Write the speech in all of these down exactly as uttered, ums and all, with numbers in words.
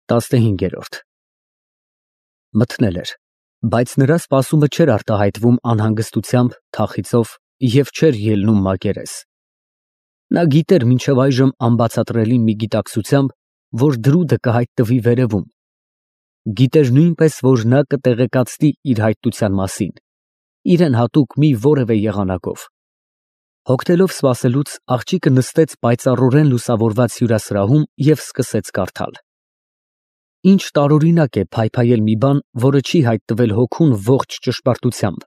տասնհինգ։ Մթնել էր, բայց նրա սպասումը չէր արտահայտվում անհանգստությամբ, թախիծով և չէր ելնում մակերես։ Նա գիտեր մինչև այժմ անբացատրելի մի գիտակցությամբ, որ դրուդը կհայտնվի վերևում, գիտեր նույնպես, որ նա կտեղեկացնի իր հայտնության մասին, իրան հատուկ մի որևէ եղանակով։ Հոգնելով սպասելուց, աղջիկը նստեց պայծառորեն լուսավորված հյուրասրահում և սկսեց կարդալ։ Ինչ տարօրինակ է փայփայել մի բան, որը չի հայտնվել հոգուն ողջ ճշմարտությամբ,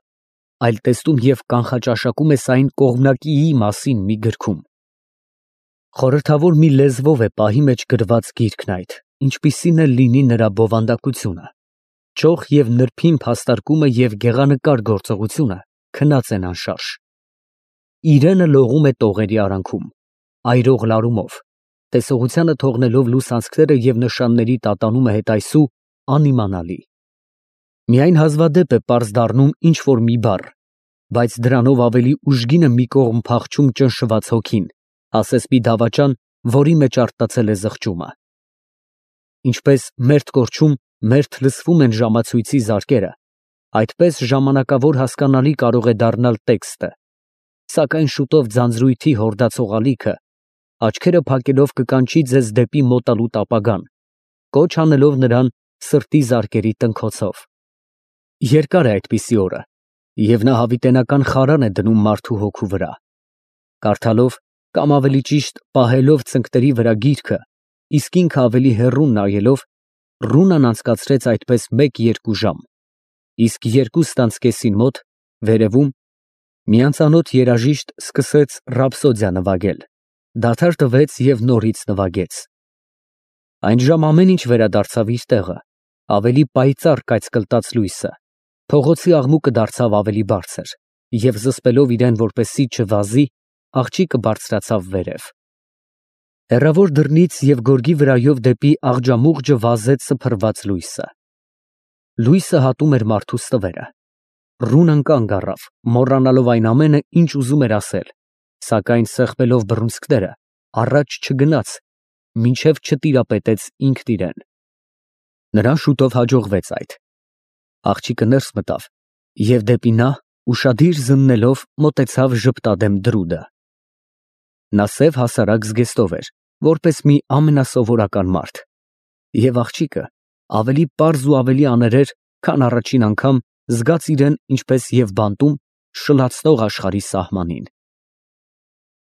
այլ տեսնում և կանխաճաշակում ես այն կողմնակիի մասին մի գրքում։ Խորհրդավոր մի լեզվով է պահի մեջ գրված գիրքն այդ, ինչպիսին էլ լինի նրա բովանդակությունը, ճոխ և նրբին փաստարկումը և գեղանկար գործողությունը քնած են անշարժ։ Իրենը լողում է տողերի արանքում, այրող լարումով, տեսողությանը թողնելով լուսանցքները և նշանների տատանումը հետայսու անիմանալի։ Միայն հազվադեպ է պարզ դառնում ինչ֊որ մի բառ, բայց դրանով ավելի ուժգին է մի կողմ փախչում ճնշված հոգին, ասես մի դավաճան, որի մեջ արթնացել է զղջումը։ Ինչպես մերթ կորչում մերթ լսվում են ժամացույցի զարկերը, այդպես ժամանակավոր հասկանալի կարող է դառնալ տեքստը, սակայն շուտով ձանձրույթի հորդացող ալիքը, աչքերը փակելով կկանչի ձեզ դեպի մոտալուտ ապագան, կոչ անելով նրան սրտի զարկերի տնքոցով։ Երկար է այդպիսի օրը, և նա հավիտենական խարան է դնում մարդու հոգու վրա։ Կարդալով, կամ ավելի ճիշտ պահելով ծնկների վրա գիրքը, իսկ ինքը ավելի հեռուն նայելով, Ռունան անցկացրեց այդպես մեկ֊երկու ժամ, իսկ երկուստ անց կեսին մոտ, վերևում, մի անծանոթ երաժիշտ սկսեց ռապսոդիա նվագել, դադար տվեց և նորից նվագեց։ Այն ժամ ամեն ինչ վերադարձավ իր տեղը, ավելի պայծառ կայծկլտած լույսը, փողոցի աղմուկը դարձավ ավելի բարձր, և զսպելով իրան, որպեսզի չվազի, աղջիկը բարձրացավ վերև։ Հեռավոր դռնից և գորգի վրայով դեպի աղջամուղջը վազեց սփռված լույսը։ Լույսը հատում էր մարդու ստվերը։ Ռունան կանգ առավ, մոռանալով այն ամենը, ինչ ուզում էր ասել, սակայն սեղմելով բռունցքները, առաջ չգնաց, մինչև չտիրապետեց ինքն իրան։ Նրան շուտով հաջողվեց այդ։ Աղջիկը ներս մտավ և դեպի նա, ուշադիր զննելով, մոտեցավ ժպտադեմ դրուդը։ Նա սև հասարակ զգեստով էր, որպես մի ամենասովորական մարդ, և աղջիկը ավելի պարզ ու ավելի աներեր, քան առաջին անգամ զգաց իրան ինչպես և բանտում շլացնող աշխարհի սահմանին։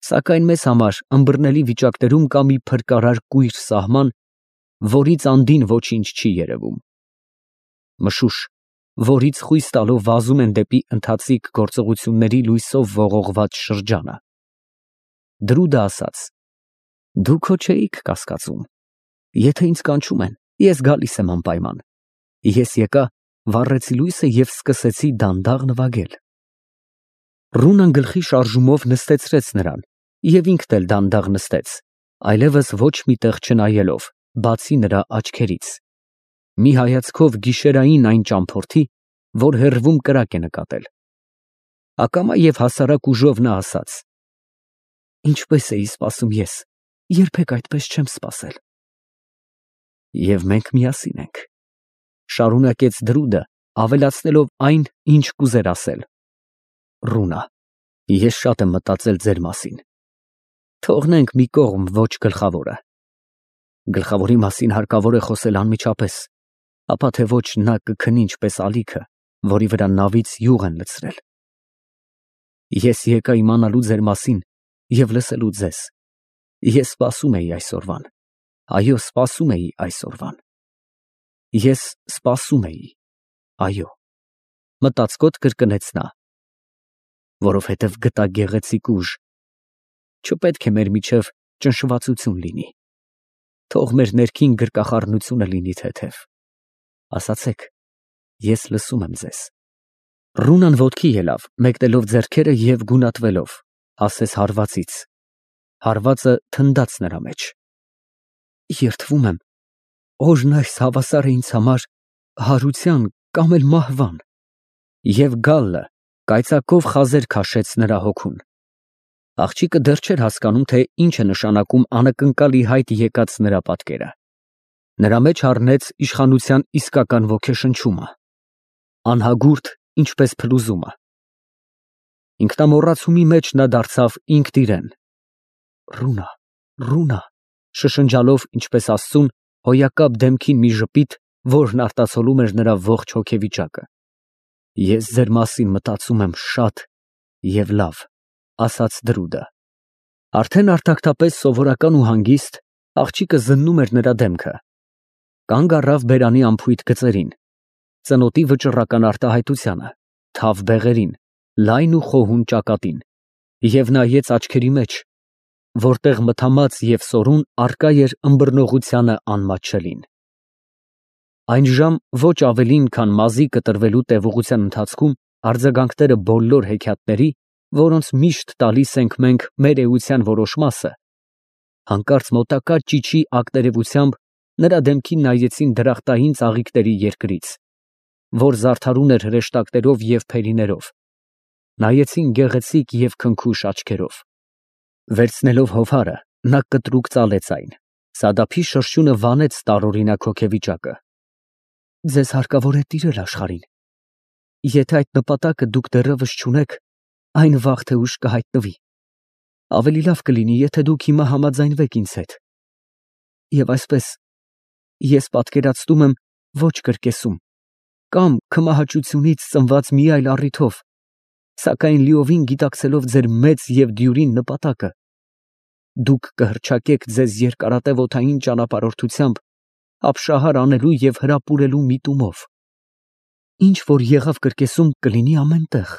Սակայն մեզ համար ըմբռնելի վիճակներում կա մի փրկարար կույր սահման, որից անդին ոչինչ չի երևում։ Մշուշ, որից խույս տալով վազում են դեպի ընթացիկ գործողությունների լույսով ողողված շրջանը։ Դրուդը ասաց. «Դուք հո չէիք կասկածում. եթե ինձ կանչում են, ես գալիս եմ անպայման։ Ես եկա, վառեցի լույսը և սկսեցի դանդաղ նվագել»։ Ռունան գլխի շարժումով նստեցրեց նրան, և ինքն էլ դանդաղ նստեց, այլևս ոչ մի տեղ չնայելով, բացի նրա աչքերից, մի հայացքով գիշերային այն ճամփորդի, որ հեռվում կրակ է նկատել։ Ակամա և հասարակ ուժով նա ասաց. «Ինչպես էի սպասում ես, երբեք այդպես չեմ սպասել»։ «Եվ մենք միասին ենք», ֊ շարունակեց դրուդը, ավելացնելով այն, ինչ կուզեր ասել։ «Ռունա, ես շատ եմ մտածել ձեր մասին։ Թողնենք մի կողմ ոչ գլխավորը։ Գլխավորի մասին հարկավոր է խոսել անմիջապես, ապա թե ոչ նա կքնի ինչպես ալիքը, որի վրա նավից յուղ են լցրել։ Ես եկա իմանալու ձեր մասին և լսելու ձեզ։ Ես սպասում էի այսօրվան, այո, սպասում էի այսօրվան։ Ես սպասում էի, այո», ֊ մտածկոտ կրկնեց նա։ «Որովհետև գտա գեղեցիկ ուժ։ Չպետք է մեր միջև ճնշվածություն լինի։ Թող մեր ներքին գրկախառնությունը լինի թեթև։ Ասացեք, ես լսում եմ ձեզ»։ Ռունան ոտքի ելավ, մեկնելով ձեռքերը և գունատվելով, ասես հարվածից։ Հարվածը թնդաց նրա մեջ։ «Երդվում եմ, օրն այս հավասար է ինձ համար հարության կամ էլ մահվան»։ Եվ գալլը կայծակով խազեր քաշեց նրա հոգուն։ Աղջիկը դեռ չէր հասկանում, թե ինչ է նշանակում անակնկալ ի հայտ եկած նրա պատկերը։ Նրա մեջ առնեց իշխանության իսկական ոգեշնչումը, անհագուրդ, ինչպես փլուզումը։ Ինքնամոռացումի մեջ նա դարձավ ինքն իրեն։ Ռունա, Ռունա, շշնջալով, ինչպես Աստծուն, հոյակապ դեմքին մի ժպիտ, որն արտացոլում էր նրա ողջ հոգեվիճակը։ Ես ձեր մասին մտածում եմ շատ և լավ, ասաց Դրուդը։ Արդեն արտակտապես սովորական ու հանգիստ, աղջիկը զննում էր նրա դեմքը։ Կանգ առավ բերանի անփույթ գծերին, ծնոտի վճռական արտահայտությանը, թավ բեղերին, լայն ու խոհուն ճակատին, և նայեց աչքերի մեջ, որտեղ մթամած և սորուն առկա էր ըմբռնողությանը անմատչելին։ Այն ժամ ոչ ավելին, քան մազի կտրվելու տևողության ընթացքում արձագանքները բոլոր հեքիաթների, որոնց միշտ տալիս ենք մենք մեր էության որոշ մասը, հանկարծ մոտակա ճիչի ակտերևությամբ նրա դեմքին նայեցին դրախտային ծաղիկների երկրից, որ զարդարուն էր հրեշտակներով և փերիներով, նայեցին գեղեցիկ և քնքուշ աչքերով։ Վերցնելով հովհարը, նա կտրուկ ծալեց այն, Սադափի շրշյունը վանեց տարօրինակ հոգեվիճակը։ Ձեզ հարկավոր է տիրել աշխարհին։ Եթե այդ նպատակը դուք դեռևս չունեք, այն վաղ թե ուշ կհայտնվի։ Ավելի լավ կլինի, եթե դուք հիմա համաձայնվեք ինձ հետ։ Եվ այսպես, ես պատկերացնում եմ ոչ կրկեսում, կամ քմահաճությունից ծնված մի այլ առիթով, սակայն լիովին գիտակցելով ձեր մեծ և դյուրին նպատակը, դուք կհռչակեք ձեզ երկարատև օդային ճանապարհորդությամբ ապշահար անելու և հրապուրելու միտումով։ Ինչ որ եղավ կրկեսում, կլինի ամեն տեղ։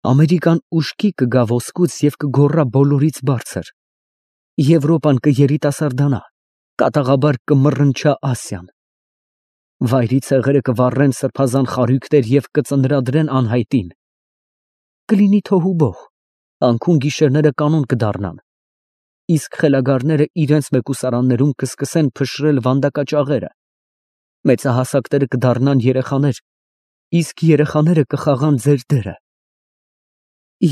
Ամերիկան ուշքի կգա ոսկուց և կգոռա բոլորից բարձր։ Եվրոպան կերիտասարդանա, կատաղաբար կմռնչա Ասիան։ Վայրի ցեղերը կվառեն սրբազան խարույկներ և կծնրադրեն անհայտին։ Կլինի թոհուբոհ, անքուն գիշերները կանոն կդառնան, իսկ խելագարները իրենց մեկուսարաններում կսկսեն փշրել վանդակաճաղերը, մեծահասակները կդառնան երեխաներ, իսկ երեխաները կխաղան ձեր դերը։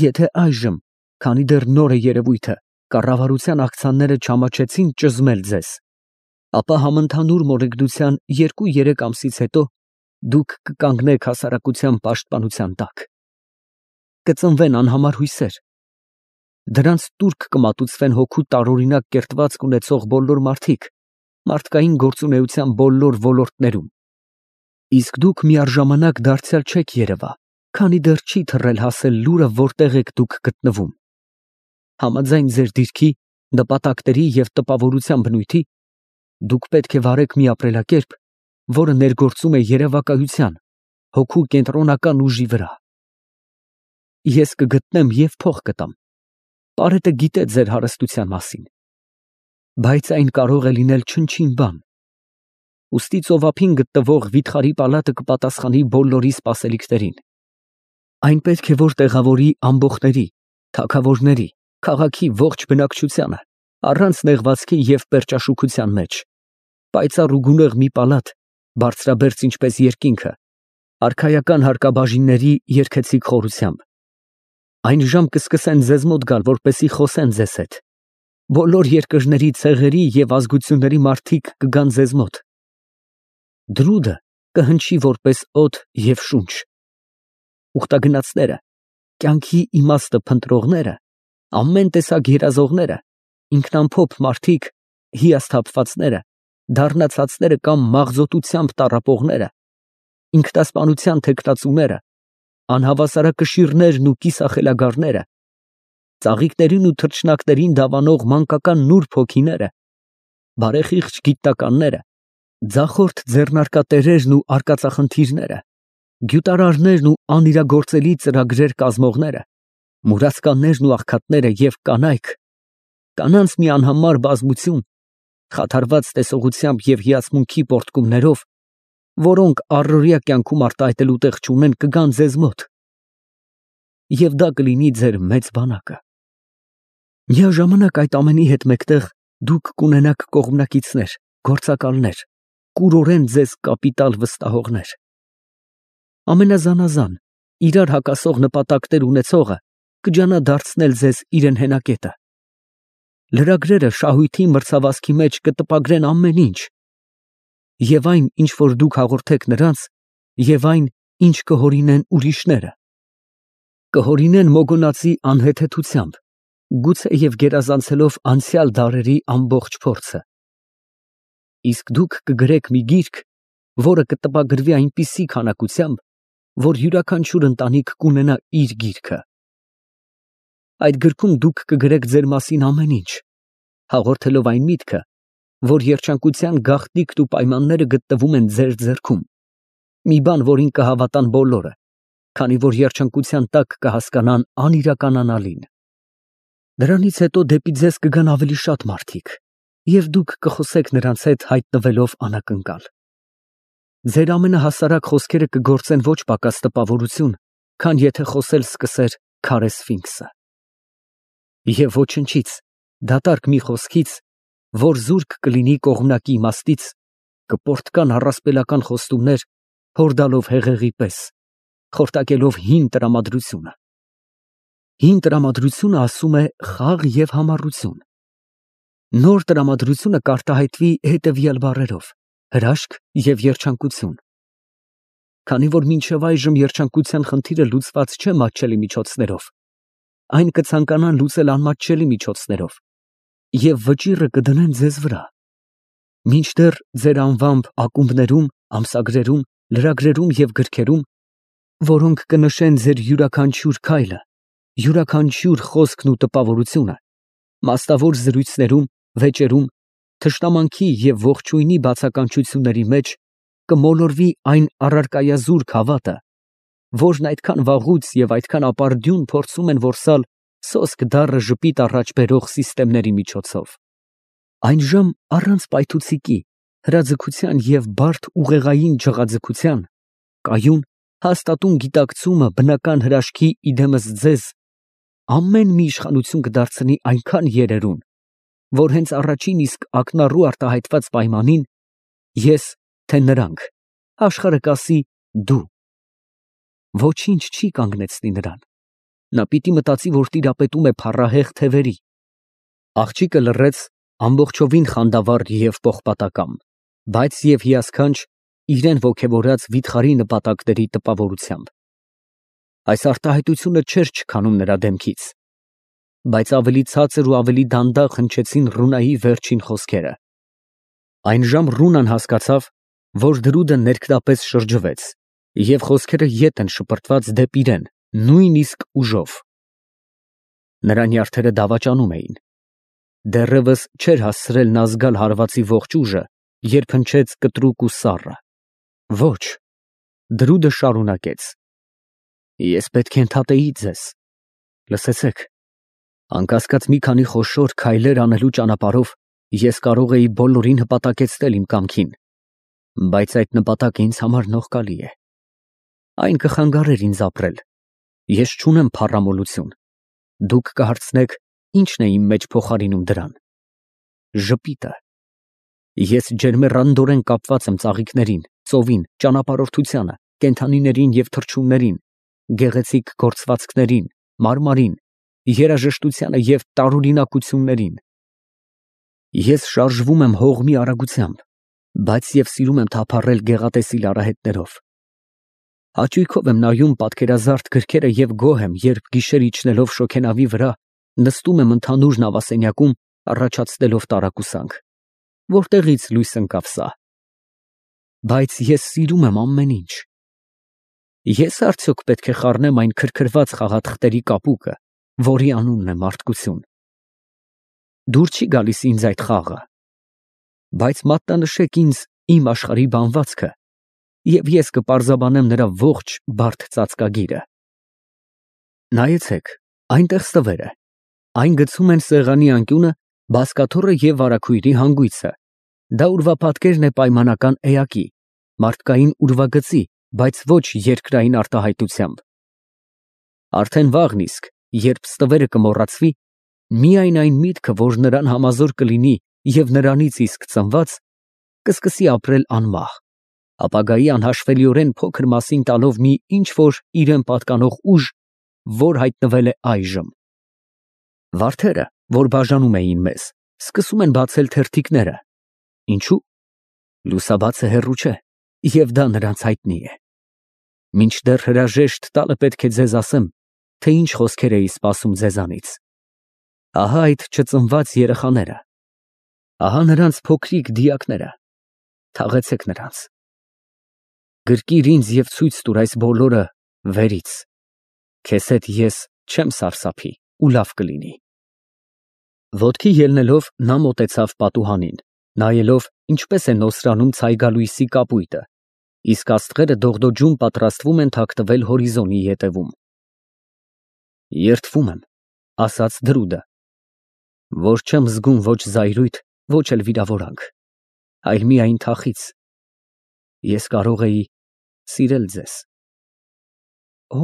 Եթե այժմ, քանի դեռ նոր է երևույթը, կառավարության ակցիաները չամաչեցին ճզմել ձեզ, ապա համընդհանուր մորեգնության երկու֊երեք ամսից հետո դուք կկանգնեք հասարակության պաշտպանության տակ։ Կծնվեն անհամար հույսեր։ Դրանց տուրք կմատուցվեն հոգու տարօրինակ կերտվածք ունեցող բոլոր մարդիկ, մարդկային գործունեության բոլոր ոլորտներում։ Իսկ դուք միառժամանակ դարձյալ չեք երևա, քանի դեռ չի թռել հասել լուրը, որտեղ եք դուք գտնվում։ Համաձայն ձեր դիրքի, նպատակների և տպավորության բնույթի, դուք պետք է վարեք մի ապրելակերպ, որը ներգործում է երևակայության, հոգու կենտրոնական ուժի վրա։ Ես կգտնեմ և փող կտամ։ Պարետը գիտե ձեր հարստության մասին, բայց այն կարող է լինել չնչին բան։ Ուստի ծովափին գտնվող վիթխարի պալատը կպատասխանի բոլորի սպասելիքներին։ Այն պետք է որ տեղավորի ամբոխների, թագավորների, քաղաքի ողջ բնակչությանը, առանց նեղվածքի և պերճաշուքության մեջ, պայծառ ու գունեղ մի պալատ, բարձրաբերձ ինչպես երկինքը, արքայական հարկաբաժինների երգեցիկ խորությամբ։ Այն ժամ կսկսեն ձեզ մոտ գալ, որպեսզի խոսեն ձեզ հետ։ Բոլոր երկրների, ցեղերի և ազգությունների մարդիկ կգան ձեզ մոտ։ Դրուդը կհնչի որպես օդ և շունչ։ Ուխտագնացները, կյանքի իմաստը փնտրողները, ամեն տեսակ երազողները, ինքնամփոփ մարդիկ, հիասթափվածները, դառնացածները կամ մաղձոտությամբ տառապողները, ինքնասպանության թեկնածուները, անհավասարակշիռներն ու կիսախելագարները, ծաղիկներին ու թռչնակներին դավանող մանկական նուրբ հոգիները, բարեխիղճ գիտնականները, ձախորդ ձեռնարկատերերն ու արկածախնդիրները, գյուտարարներն ու անիրագործելի ծրագրեր կազմողները, մուրացկաններն ու աղքատները և կանայք, կանանց մի անհամար բազմություն, խաթարված տեսողությամբ և հիացմունքի պոռթկումներով, որոնք առօրյա կյանքում արտահայտելու տեղ չունեն, կգան ձեզ մոտ, և դա կլինի ձեր մեծ բանակը։ Միաժամանակ այդ ամենի հետ մեկտեղ դուք կունենաք կողմնակիցներ, գործակալներ, կուրորեն ձեզ կապիտալ վստահողներ։ Ամենազանազան, իրար հակասող նպատակներ ունեցողը կջանա դարձնել ձեզ իրեն հենակետը։ Լրագրերը շահույթի մրցավազքի մեջ կտպագրեն ամեն ինչ, և այն, ինչ որ դուք հաղորդեք նրանց, և այն, ինչ կհորինեն ուրիշները։ Կհորինեն մոգոնածի անհեթեթությամբ, գուցե և գերազանցելով անցյալ դարերի ամբողջ փորձը։ Իսկ դուք կգրեք մի գիրք, որը կտպագրվի այնպիսի քանակությամբ, որ յուրաքանչյուր ընտանիք կունենա իր գիրքը։ Այդ գրքում դուք կգրեք ձեր մասին ամեն ինչ, հաղորդելով այն միտքը, որ երջանկության գաղտնիքն ու պայմանները գտնվում են ձեր ձեռքում, մի բան, որին կհավատան բոլորը, քանի որ երջանկության տակ կհասկանան անիրականանալին։ Դրանից հետո դեպի ձեզ կգան ավելի շատ մարդիկ, և դուք կխոսեք նրանց հետ հայտնվելով անակնկալ։ Ձեր ամենահասարակ խոսքերը կգործեն ոչ պակաս տպավորություն, քան եթե խոսել սկսեր քարե սֆինքսը։ Եվ ոչնչից, դատարկ մի խոսքից, որ զուրկ կլինի կողմնակի իմաստից, կպորտկան առասպելական խոստումներ, հորդալով հեղեղի պես, խորտակելով հին տրամադրությունը։ Հին տրամադրությունը ասում է խաղ և համառություն։ Նոր տրամադրությունը կարտահայտվի հետևյալ բառերով. հրաշք և երջանկություն։ Քանի որ մինչև այժմ երջանկության խնդիրը լուծված չէ մատչելի միջոցներով, այն կցանկանան լուծել անմատչելի միջոցներով, և վճիռը կդնեն ձեզ վրա։ Մինչդեռ ձեր անվամբ ակումբներում, ամսագրերում, լրագրերում և գրքերում, որոնք կնշեն ձեր յուրաքանչյուր քայլը, յուրաքանչյուր խոսքն ու տպավորությունը, մասնավոր զրույցներում, վեճերում, թշնամանքի և ողջույնի բացականչությունների մեջ կմոլորվի այն առարկայազուրկ հավատը, որն այդքան վաղուց և այդքան ապարդյուն փորձում են որսալ սոսկ դառը ժպիտ առաջ բերող սիստեմների միջոցով։ Այնժամ առանց պայթուցիկի, հրաձգության և բարդ ուղեղային ջղաձգության, կայուն, հաստատուն գիտակցումը բնական հրաշքի իդեմս ձեզ ամեն մի իշխանություն կդարձնի այնքան երերուն, որ հենց առաջին իսկ ակնառու արտահայտված պայմանին ես, թե նրանք, աշխարհը կասի դու։ Ոչինչ չի կանգնեցնի նրան։ Նա պիտի մտածի, որ տիրապետում է փառահեղ թևերի։ Աղջիկը լռեց ամբողջովին խանդավառ և պողպատակամ, բայց և հիասքանչ իրեն ոգևորած վիթխարի նպատակների տպավորությամբ։ Այս արտահայտությունը չէր չքանում նրա դեմքից, բայց ավելի ցածր ու ավելի դանդաղ հնչեցին Ռունայի վերջին խոսքերը։ Այնժամ Ռունան հասկացավ, որ դրուդը ներքնապես շրջվեց, և խոսքերը ետ են շպրտված դեպի իրեն նույնիսկ ուժով։ Նրա նյարդերը դավաճանում էին։ Դեռևս չէր հասցրել նա զգալ հարվածի ողջ ուժը, երբ հնչեց կտրուկ ու սառը. Ոչ։ Դրուդը շարունակեց. Ես պետք է ընդհատեի ձեզ։ Լսեցեք, անկասկած մի քանի խոշոր քայլեր անելու ճանապարհով ես կարող էի բոլորին հպատակեցնել իմ կամքին, բայց այդ նպատակը ինձ համար նողկալի է։ Այն կխանգարեր ինձ ապրել։ Ես չունեմ փառամոլություն։ Դուք կհարցնեք, ի՞նչն է իմ մեջ փոխարինում դրան։ Ժպիտը։ Ես ջերմեռանդորեն կապված եմ ծաղիկներին, ծովին, ճանապարհորդությանը, կենդանիներին և թռչուններին, գեղեցիկ գործվածքներին, մարմարին, երաժշտությանը և տարօրինակություններին։ Ես շարժվում եմ հողմի արագությամբ, բայց և սիրում եմ թափառել գեղատեսիլ արահետներով։ Հաճույքով եմ նայում պատկերազարդ գրքերը և գոհ եմ, երբ գիշեր իջնելով շոգենավի վրա նստում եմ ընդհանուր նավասենյակում, առաջացնելով տարակուսանք. որտեղի՞ց լույս ընկավ սա։ Բայց ես սիրում եմ ամեն ինչ։ Ես արդյոք պետք է խառնեմ այն քրքրված խաղաթղթերի կապուկը, որի անունն է մարդկություն։ Դուր չի գալիս ինձ այդ խաղը։ Բայց մատնանշեք ինձ իմ աշխարհի բանվածքը, և ես կպարզաբանեմ նրա ողջ բարդ ծածկագիրը։ Նայեցեք, այնտեղ ստվեր է։ Այն գցում են սեղանի անկյունը, բազկաթոռը և վարագույրի հանգույցը։ Դա ուրվապատկերն է պայմանական էակի, մարդկային ուրվագծի, բայց ոչ երկրային արտահայտությամբ։ Արդեն վաղն իսկ, երբ ստվերը կմոռացվի, միայն այն միտքը, որ նրան համազոր կլինի և նրանից իսկ ծնված, կսկսի ապրել անմահ, ապագայի անհաշվելիորեն փոքր մասին տալով մի ինչ֊որ իրան պատկանող ուժ, որ հայտնվել է այժմ։ Վարդերը, որ բաժանում էին մեզ, սկսում են բացել թերթիկները։ Ինչո՞ւ։ Լուսաբացը հեռու չէ, և դա նրանց հայտնի է։ Մինչդեռ հրաժեշտ տալը պետք է ձեզ ասեմ, թե ինչ խոսքեր էի սպասում ձեզանից։ Ահա այդ չծնված երեխաները, ահա նրանց փոքրիկ դիակները, թաղեցեք նրանց։ Գրկիր ինձ և ցույց տուր այս բոլորը վերից, քեզ հետ ես չեմ սարսափի ու լավ կլինի։ Ոտքի ելնելով նա մոտեցավ պատուհանին, նայելով ինչպես է նոսրանում ցայգալույսի կապույտը, իսկ աստղերը դողդոջում պատրաստվում են թաքնվել հորիզոնի ետևում։ Երդվում եմ, ասաց դրուդը, որ չեմ զգում ոչ զայրույթ, ոչ էլ վիրավորանք, այլ միայն թախիծ։ Ես կարող էի սիրել ձեզ։ Օ,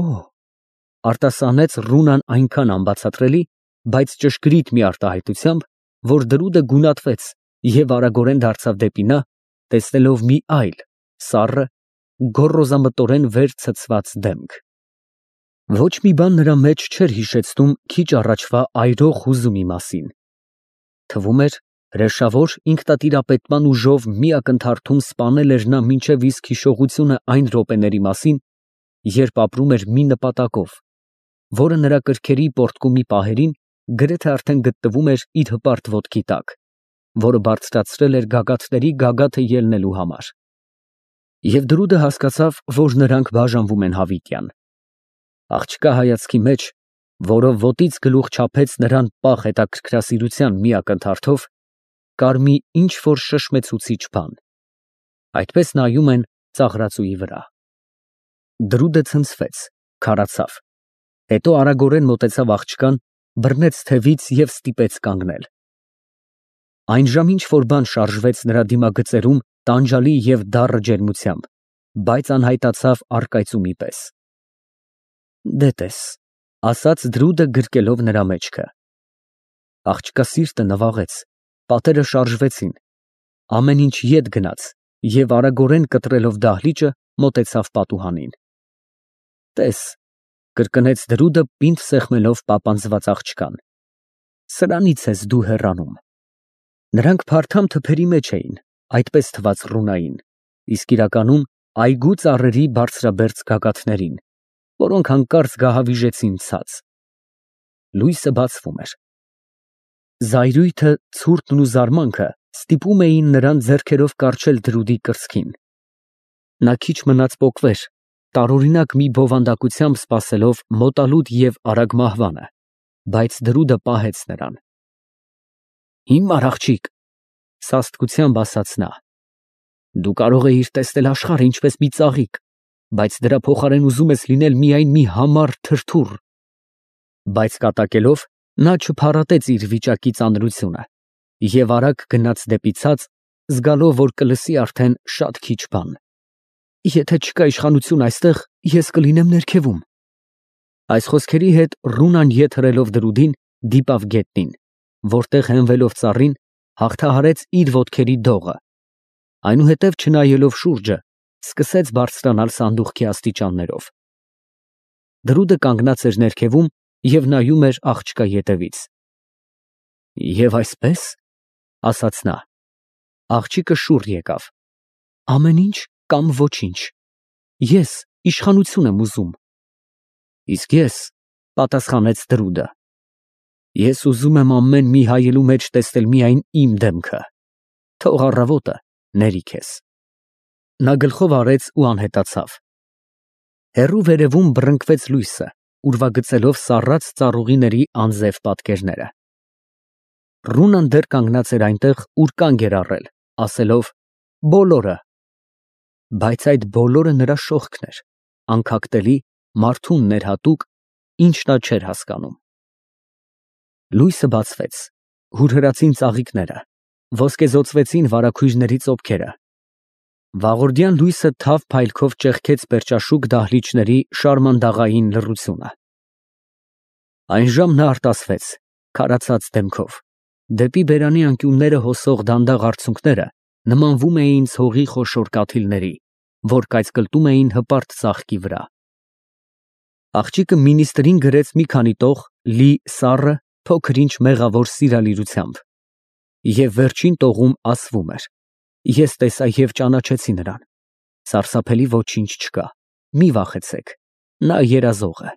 արտասանեց Ռունան այնքան անբացատրելի, բայց ճշգրիտ մի արտահայտությամբ, որ դրուդը գունատվեց և արագորեն դարձավ դեպի նա, տեսնելով մի այլ, սառը, գոռոզամտորեն վեր ցցված դեմք։ Ոչ մի բան նրա մեջ չէր հիշեցնում քիչ առաջվա այրող հուզումի մասին։ Թվում էր, հրեշավոր ինքնատիրապետման ուժով մի ակնթարթում սպանել էր նա մինչև իսկ հիշողությունը այն րոպեների մասին, երբ ապրում էր մի նպատակով, որը նրա կրքերի պոռթկումի պահերին գրեթե արդեն գտնվում էր իր հպարտ ոտքի տակ, որը բարձրացրել էր գագաթների գագաթը ելնելու համար։ Եվ դրուդը հասկացավ, որ նրանք բաժանվում են հավիտյան։ Աղջկա հայացքի մեջ, որով ոտից գլուխ չափեց նրան պաղ հետաքրքրասիրության մի ակնթարթով, կար մի ինչ֊որ շշմեցուցիչ բան։ Այդպես նայում են ծաղրածուի վրա։ Դրուդը ցնցվեց, քարացավ, հետո արագորեն մոտեցավ աղջկան, բռնեց թևից և ստիպեց կանգնել։ Այն ժամ ինչ֊որ բան շարժվեց նրա դիմագծերում տանջալի և դառը ջերմությամբ, բայց անհայտացավ առկայծումի պես։ Դե տես, ասաց դրուդը գրկելով նրա մեջքը։ Աղջկա սիրտը նվաղեց, պատերը շարժվեցին, ամեն ինչ ետ գնաց և արագորեն կտրելով դահլիճը մոտեցավ պատուհանին։ Տես, կրկնեց դրուդը պինդ սեղմելով պապանձված աղջկան, սրանից ես դու հեռանում։ Նրանք փարթամ թփերի մեջ էին, այդպես թվաց Ռունային, իսկ իրականում այգու ծառերի բարձրաբերձ գագաթներին, որոնք հանկարծ գահավիժեցին ցած։ Լույսը բացվում էր։ Զայրույթը, ցուրտն ու զարմանքը ստիպում էին նրան ձեռքերով կառչել դրուդի կրծքին։ Նա քիչ մնաց պոկվեր, տարօրինակ մի բովանդակությամբ սպասելով մոտալուտ և արագ մահվանը, բայց դրուդը պահեց նրան։ Հիմար աղջիկ, սաստկությամբ ասաց նա, դու կարող էիր տեսնել աշխարհը ինչպես մի ծաղիկ, բայց դրա փոխարեն ուզում ես լինել միայն մի համառ թրթուռ։ Բայց կատակելով նա չփարատեց իր վիճակի ծանրությունը և արագ գնաց դեպի ցած, զգալով, որ կլսի արդեն շատ քիչ բան։ Եթե չկա իշխանություն այստեղ, ես կլինեմ ներքևում։ Այս խոսքերի հետ Ռունան ետ հրելով դրուդին դիպավ գետնին, որտեղ հենվելով ծառին հաղթահարեց իր ոտքերի դողը, այնուհետև չնայելով շուրջը, սկսեց բարձրանալ սանդուղքի աստիճաններով։ Դրուդը կանգնած էր ներքևում և նայում էր աղջկա ետևից։ Եվ այսպես, ասաց նա, աղջիկը շուռ եկավ, ամեն ինչ կամ ոչինչ, ես իշխանություն եմ ուզում։ Իսկ ես, պատասխանեց դրուդը, ես ուզում եմ ամեն մի հայելու մեջ տեսնել միայն իմ դեմքը, թող առավոտը ների քեզ։ Նա գլխով արեց ու անհետացավ։ Հեռու վերևում բռնկվեց լույսը, ուրվագծելով սառած ծառուղիների անձև պատկերները։ Ռունան դեռ կանգնած էր այնտեղ, ուր կանգ էր առել, ասելով բոլորը, բայց այդ բոլորը նրա շողքն էր, անքակտելի, մարդուն ներհատուկ, ինչ նա չէր հասկանում։ Լույսը բացվեց, հուրհրացին ծաղիկները, ոսկեզօծվեցին վարագույրների ծոփքերը։ Վաղորդյան լույսը թավ փայլքով ճեղքեց պերճաշուք դահլիճների շարմանդաղային լռությունը։ Այնժամ նա արտասվեց, քարացած դեմքով, դեպի բերանի անկյունները հոսող դանդաղ արցունքները նմանվում էին ցողի խոշոր կաթիլների, որ կայծկլտում էին հպարտ ծաղկի վրա։ Աղջիկը մինիստրին գրեց մի քանի տող լի սառը, փոքր ինչ մեղավոր սիրալիրությամբ, և վերջին տողում ասվում էր. Ես տեսա և ճանաչեցի նրան. սարսափելի ոչինչ չկա, մի վախեցեք, նա երազող է։